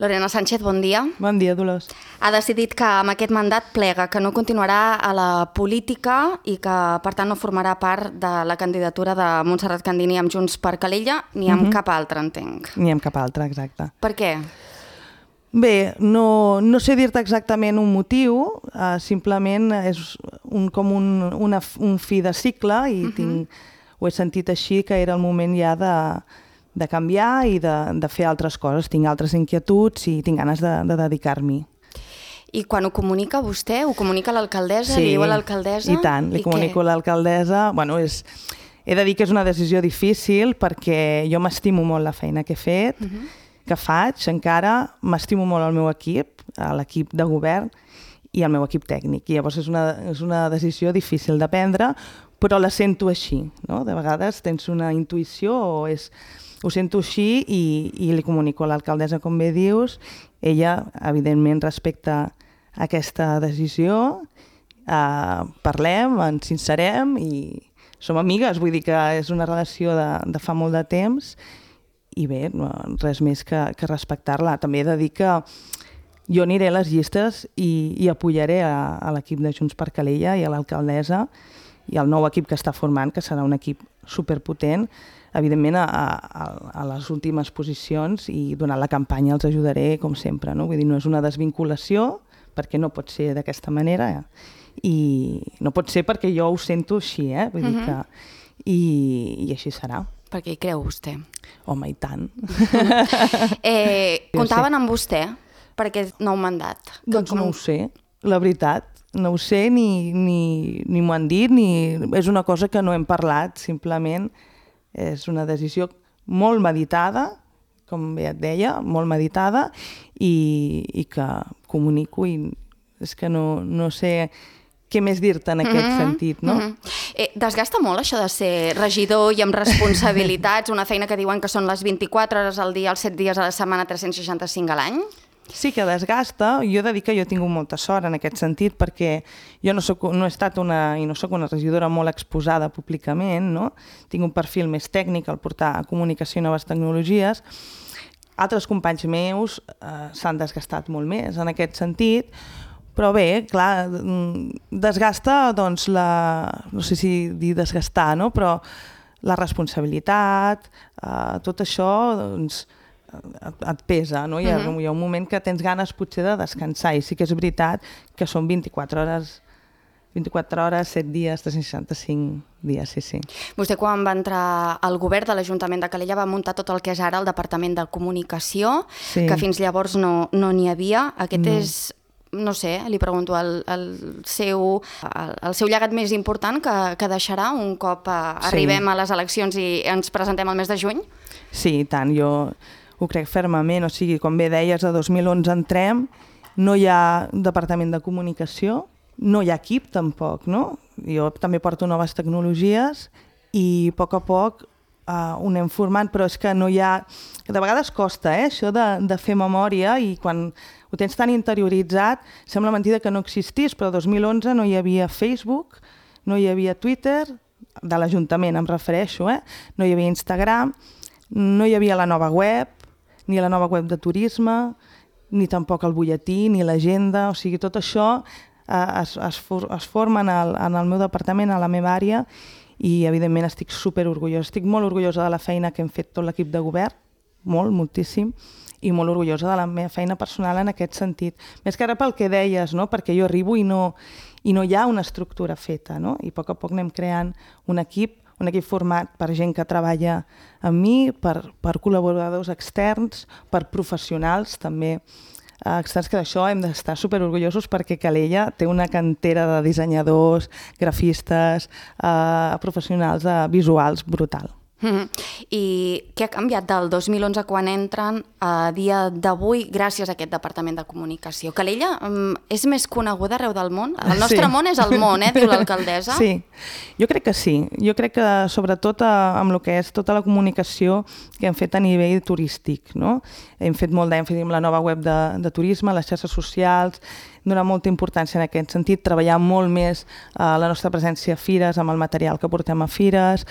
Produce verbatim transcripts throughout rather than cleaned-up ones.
Lorena Sánchez, bon dia. Bon dia, Dolors. Ha decidit que amb aquest mandat plega, que no continuarà a la política i que, per tant, no formarà part de la candidatura de Montserrat Candini amb Junts per Calella ni amb uh-huh. cap altre, entenc. Ni amb cap altre, exacte. Per què? Bé, no, no sé dir-te exactament un motiu, uh, simplement és un, com un, una, un fi de cicle i uh-huh. tinc, ho he sentit així, que era el moment ja de... de canviar i de, de fer altres coses. Tinc altres inquietuds i tinc ganes de, de dedicar-m'hi. I quan ho comunica vostè? Ho comunica a l'alcaldessa? Sí, li diu a l'alcaldessa? i tant. Li I comunico què? a l'alcaldessa. Bueno, és, he de dir que és una decisió difícil perquè jo m'estimo molt la feina que he fet, uh-huh. que faig encara, m'estimo molt el meu equip, l'equip de govern i el meu equip tècnic. I llavors és una, és una decisió difícil de prendre, però la sento així, no? De vegades tens una intuïció o és... Ho sento així i, i li comunico a l'alcaldessa, com bé dius. Ella, evidentment, respecta aquesta decisió. Uh, parlem, ens sincerem i som amigues. Vull dir que és una relació de, de fa molt de temps i bé, no, res més que, que respectar-la. També he de dir que jo aniré a les llistes i, i apoyaré a, a l'equip de Junts per Calella i a l'alcaldessa i al nou equip que està formant, que serà un equip superpotent, evidentment a, a, a les últimes posicions i durant la campanya els ajudaré com sempre, no? Vull dir, no és una desvinculació perquè no pot ser d'aquesta manera eh? I no pot ser perquè jo ho sento així, eh? Vull dir que i, i així serà. Perquè hi creu vostè? Home, i tant. eh, comptaven amb vostè per aquest nou mandat? Doncs no ho sé, la veritat. No ho sé, ni, ni, ni m'ho han dit, ni... és una cosa que no hem parlat, simplement és una decisió molt meditada, com bé et deia, molt meditada, i, i que comunico i és que no, no sé què més dir-te en aquest mm-hmm, sentit, no? Mm-hmm. eh, desgasta molt això de ser regidor i amb responsabilitats, una feina que diuen que són les vint-i-quatre hores al dia, els set dies a la setmana, tres-cents seixanta-cinc a l'any? Sí que desgasta. Jo he de dir que jo he tingut molta sort en aquest sentit perquè jo no, soc, no he estat una, i no soc una regidora molt exposada públicament, no? Tinc un perfil més tècnic al portar a comunicació i noves tecnologies. Altres companys meus eh, s'han desgastat molt més en aquest sentit, però bé, clar, desgasta doncs la... no sé si dir desgastar, no? Però la responsabilitat, eh, tot això, doncs, Et, et pesa, no? Hi ha, uh-huh. hi ha un moment que tens ganes potser de descansar i sí que és veritat que són vint-i-quatre hores, vint-i-quatre hores, set dies, tres-cents seixanta-cinc dies, sí, sí. Vostè quan va entrar al govern de l'Ajuntament de Calella va muntar tot el que és ara el Departament de Comunicació, sí. que fins llavors no no n'hi havia. Aquest no. és, no sé, li pregunto, el, el, seu, el, el seu llegat més important que, que deixarà un cop a, sí. arribem a les eleccions i ens presentem el mes de juny? Sí, i tant, jo... ho crec fermament, o sigui, com bé deies, a dos mil onze entrem, no hi ha departament de comunicació, no hi ha equip tampoc, no? Jo també porto noves tecnologies i a poc a poc uh, ho anem formant, però és que no hi ha... De vegades costa, eh, això de, de fer memòria i quan ho tens tan interioritzat sembla mentida que no existís, però a dos mil onze no hi havia Facebook, no hi havia Twitter, de l'Ajuntament em refereixo, eh? No hi havia Instagram, no hi havia la nova web, ni la nova web de turisme, ni tampoc el butlletí, ni l'agenda, o sigui, tot això eh, es, es, for, es forma en el, en el meu departament, a la meva àrea, i evidentment estic super orgullosa. Estic molt orgullosa de la feina que hem fet tot l'equip de govern, molt, moltíssim, i molt orgullosa de la meva feina personal en aquest sentit. Més que ara pel que deies, no? Perquè jo arribo i no, i no hi ha una estructura feta, no? I a poc a poc anem creant un equip un equip format per gent que treballa amb mi, per, per col·laboradors externs, per professionals també eh, externs, que d'això hem d'estar superorgullosos perquè Calella té una cantera de dissenyadors, grafistes, eh, professionals de visuals brutal. Mm-hmm. I què ha canviat del dos mil onze quan entren a dia d'avui gràcies a aquest Departament de Comunicació? Calella um, és més coneguda arreu del món? El nostre sí. món és el món, eh, diu l'alcaldessa. Sí, jo crec que sí. Jo crec que sobretot amb el que és tota la comunicació que hem fet a nivell turístic, no? Hem fet molt d'èmfasi amb la nova web de, de turisme, les xarxes socials, donar molta importància en aquest sentit, treballar molt més eh, la nostra presència a fires, amb el material que portem a fires,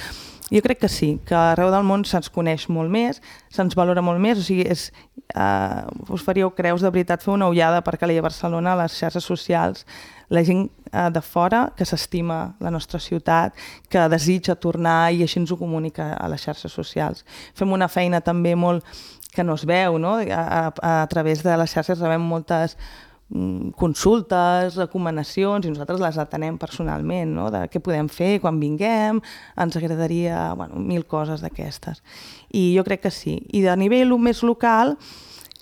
Jo crec que sí, que arreu del món se'ns coneix molt més, se'ns valora molt més, o sigui, és, uh, us faríeu creus de veritat fer una ullada per Calella Barcelona a les xarxes socials, la gent uh, de fora que s'estima la nostra ciutat, que desitja tornar i així ens ho comunica a les xarxes socials. Fem una feina també molt que no es veu, no? A, a, a través de les xarxes rebem moltes consultes, recomanacions, i nosaltres les atenem personalment, no? De què podem fer quan vinguem, ens agradaria, bueno, mil coses d'aquestes. I jo crec que sí. I de nivell més local,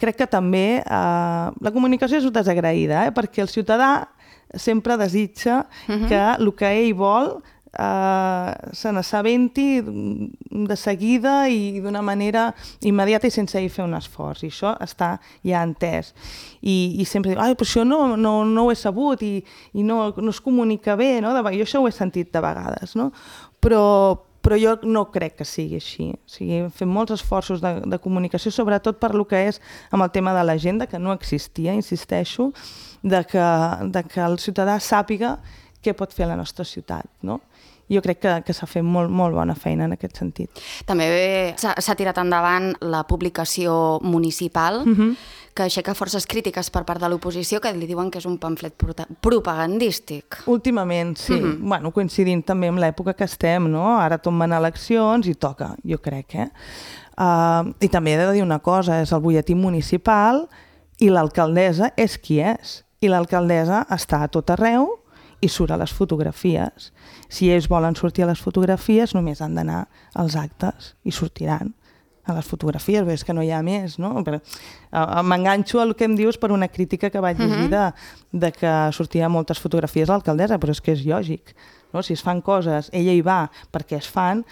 crec que també eh, la comunicació és desagraïda, eh? Perquè el ciutadà sempre desitja uh-huh. que el que ell vol Uh, se n'assabenti de seguida i d'una manera immediata i sense ell fer un esforç, i això està ja entès, i, i sempre diu, ai, però això no, no, no ho he sabut i, i no, no es comunica bé, no? Jo això ho he sentit de vegades, no? Però, però jo no crec que sigui així, o sigui, fem molts esforços de, de comunicació, sobretot per lo que és amb el tema de l'agenda, que no existia, insisteixo, de que, de que el ciutadà sàpiga què pot fer a la nostra ciutat, no? Jo crec que, que s'ha fet molt, molt bona feina en aquest sentit. També s'ha tirat endavant la publicació municipal, uh-huh. que aixeca forces crítiques per part de l'oposició, que li diuen que és un pamflet propagandístic. Últimament, sí. Uh-huh. Bueno, coincidint també amb l'època que estem, no? Ara tomben eleccions i toca, jo crec, eh? Uh, I també he de dir una cosa, és el butlletí municipal i l'alcaldessa és qui és. I l'alcaldessa està a tot arreu i surt a les fotografies. Si ells volen sortir a les fotografies, només han d'anar als actes i sortiran a les fotografies, és que no hi ha més, no? M'enganxo al que em dius per una crítica que vaig llegir de, de que sortia moltes fotografies l'alcaldessa, però és que és lògic, no? Si es fan coses, ella hi va perquè es fan,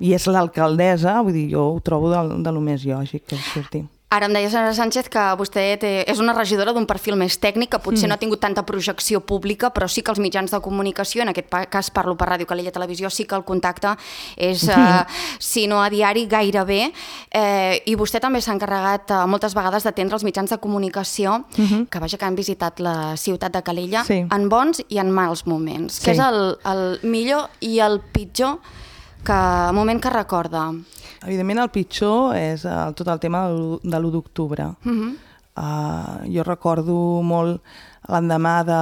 i és l'alcaldessa, vull dir, jo ho trobo de, de lo més lògic que surti. Ara em deia, senyora Sánchez, que vostè té, és una regidora d'un perfil més tècnic, que potser mm. no ha tingut tanta projecció pública, però sí que els mitjans de comunicació, en aquest cas parlo per Ràdio Calella Televisió, sí que el contacte és, mm. eh, si no a diari, gairebé. Eh, I vostè també s'ha encarregat eh, moltes vegades d'atendre els mitjans de comunicació, mm-hmm. que vaja que han visitat la ciutat de Calella, sí. en bons i en mals moments. Sí. Què és el, el millor i el pitjor que, moment que recorda? Evidentment el pitjor és el, tot el tema de l'u d'octubre. Uh-huh. uh, jo recordo molt l'endemà de,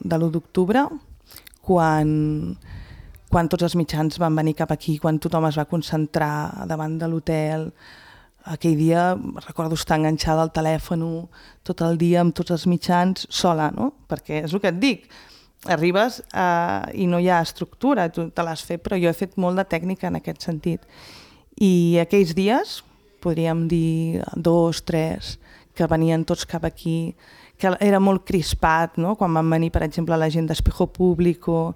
de l'u d'octubre, quan, quan tots els mitjans van venir cap aquí, quan tothom es va concentrar davant de l'hotel. Aquell dia recordo estar enganxada al telèfon tot el dia amb tots els mitjans sola, no? Perquè és el que et dic, arribes uh, i no hi ha estructura, tu te l'has fet, però jo he fet molt de tècnica en aquest sentit. I aquells dies, podríem dir dos, tres, que venien tots cap aquí, que era molt crispat, no? Quan van venir, per exemple, la gent d'Espejo Público,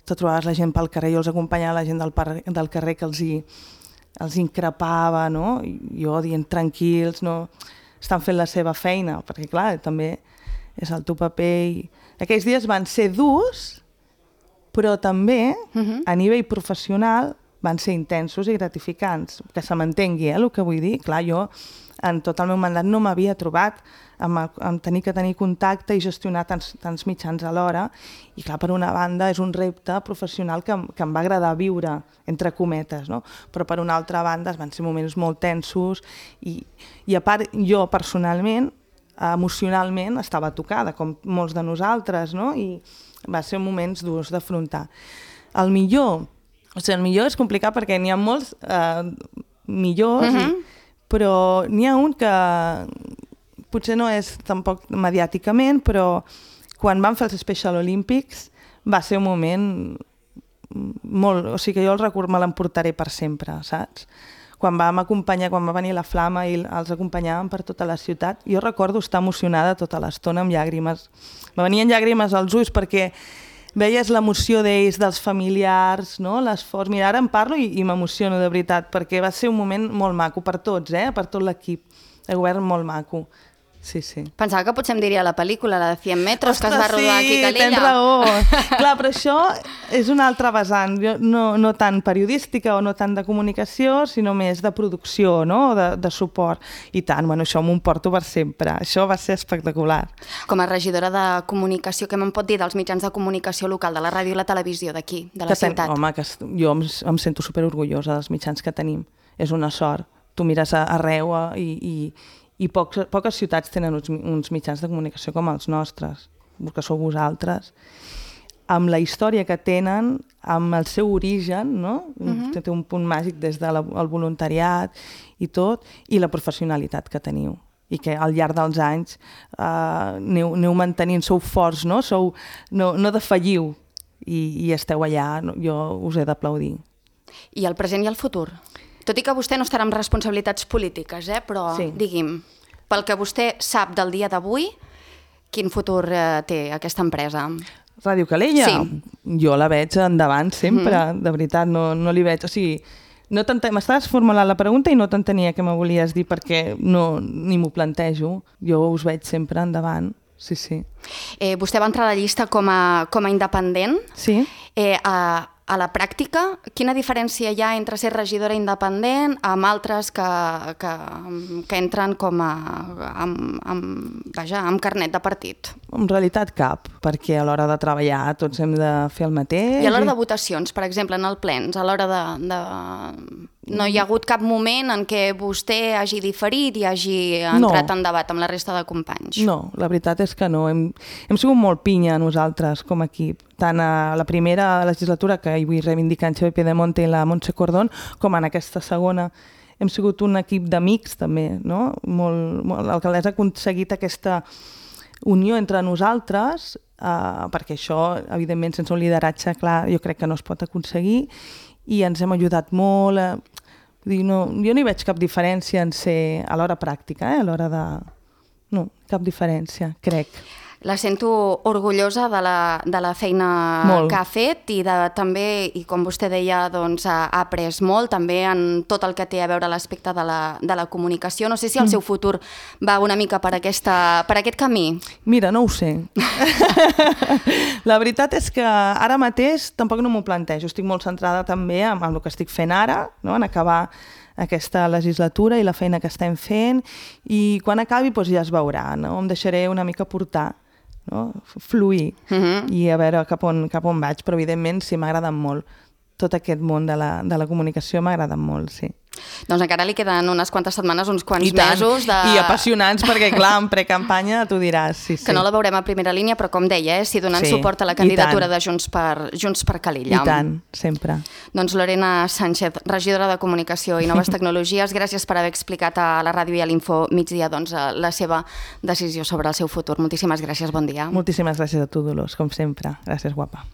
te trobaves la gent pel carrer, jo els acompanyava la gent del, par del carrer que els, hi, els increpava, no? I jo dient tranquils, no? Estan fent la seva feina, perquè clar, també és el teu paper. I... Aquells dies van ser durs, però també, uh-huh. a nivell professional, van ser intensos i gratificants, que se m'entengui, eh, el que vull dir. Clar, jo en tot el meu mandat no m'havia trobat amb, el, amb tenir que tenir contacte i gestionar tants, tants mitjans alhora, i clar, per una banda és un repte professional que, que em va agradar viure, entre cometes, no? Però per una altra banda van ser moments molt tensos i, i a part jo personalment, emocionalment estava tocada, com molts de nosaltres, no? I va ser moments durs d'afrontar. El millor... O sigui, el millor és complicat perquè n'hi ha molts eh, millors, uh-huh. i, però n'hi ha un que potser no és tampoc mediàticament, però quan van fer els Special Olympics va ser un moment molt... O sigui, que jo el record me l'emportaré per sempre, saps? Quan vam acompanyar, quan va venir la Flama i els acompanyàvem per tota la ciutat, jo recordo estar emocionada tota l'estona amb llàgrimes. Me venien llàgrimes als ulls perquè veies l'emoció d'ells, dels familiars, no? L'esforç. Mira, ara em parlo i, i m'emociono de veritat, perquè va ser un moment molt maco per tots, eh? Per tot l'equip de govern, molt maco. sí, sí. Pensava que potser em diria la pel·lícula, la de cent metros, que es va rodar aquí a Calella. Sí, tens raó. Clar, però això és una altra vessant, no, no tant periodística o no tant de comunicació, sinó més de producció, no? de, de suport. I tant, bueno, això m'ho porto per sempre. Això va ser espectacular. Com a regidora de comunicació, què me'n pot dir dels mitjans de comunicació local, de la ràdio i la televisió d'aquí, de la que ten... ciutat? Home, que jo em, em sento superorgullosa dels mitjans que tenim. És una sort. Tu mires arreu i... i I pocs, poques ciutats tenen uns, uns mitjans de comunicació com els nostres, que sou vosaltres, amb la història que tenen, amb el seu origen, no? Uh-huh. Té un punt màgic des del de voluntariat i tot, i la professionalitat que teniu. I que al llarg dels anys eh, aneu, aneu mantenint, sou forts, no? Sou, no, no defalliu i, i esteu allà, no? Jo us he d'aplaudir. I el present i el futur? Tot i que vostè no estarà amb responsabilitats polítiques, eh? Però sí. Digui'm, pel que vostè sap del dia d'avui, quin futur eh, té aquesta empresa? Ràdio Calella? Sí. Jo la veig endavant sempre, mm. de veritat, no, no li veig... O sigui, no m'estaves formulant la pregunta i no t'entenia què me volies dir perquè no, ni m'ho plantejo. Jo us veig sempre endavant, sí, sí. Eh, vostè va entrar a la llista com a, com a independent. Sí. Eh, a... A la pràctica, quina diferència hi ha entre ser regidora independent amb altres que, que, que entren com a, amb, amb, vaja, amb carnet de partit? En realitat cap, perquè a l'hora de treballar tots hem de fer el mateix. I a l'hora de votacions, per exemple, en el plens, a l'hora de, de... No hi ha hagut cap moment en què vostè hagi diferit i hagi entrat no. en debat amb la resta de companys? No, la veritat és que no. Hem, hem sigut molt pinya nosaltres com a equip, tant a la primera legislatura, que hi vull reivindicar en Xavier Pedemonte i la Montse Cordón, com en aquesta segona. Hem sigut un equip d'amics també, no? Molt, molt, l'alcaldessa ha aconseguit aquesta unió entre nosaltres, eh, perquè això, evidentment, sense un lideratge clar, jo crec que no es pot aconseguir, i ens hem ajudat molt. Eh, dir, no, jo no hi veig cap diferència en ser a l'hora pràctica, eh, a l'hora de... No, cap diferència, crec. La sento orgullosa de la, de la feina molt. Que ha fet i de, també, i com vostè deia, doncs, ha, ha après molt, també en tot el que té a veure l'aspecte de, la, de la comunicació. No sé si el seu futur va una mica per, aquesta, per aquest camí. Mira, no ho sé. La veritat és que ara mateix tampoc no m'ho plantejo. Estic molt centrada també en, en el que estic fent ara, no? En acabar aquesta legislatura i la feina que estem fent, i quan acabi doncs ja es veurà, no? Em deixaré una mica portar, no? Fluir, uh-huh. i a veure cap on, cap on vaig, però evidentment sí, m'ha agradat molt. Tot aquest món de la, de la comunicació m'ha agradat molt, sí. Doncs encara li queden unes quantes setmanes, uns quants I mesos. De... I apassionants, perquè clar, en precampanya tu diràs, sí, sí. Que no la veurem a primera línia, però com deia, eh, si donant sí, suport a la candidatura de Junts per, Junts per Calella. I tant, sempre. Doncs Lorena Sánchez, regidora de Comunicació i Noves Tecnologies, gràcies per haver explicat a la ràdio i a l'Info Migdia doncs, la seva decisió sobre el seu futur. Moltíssimes gràcies, bon dia. Moltíssimes gràcies a tu, Dolors, com sempre. Gràcies, guapa.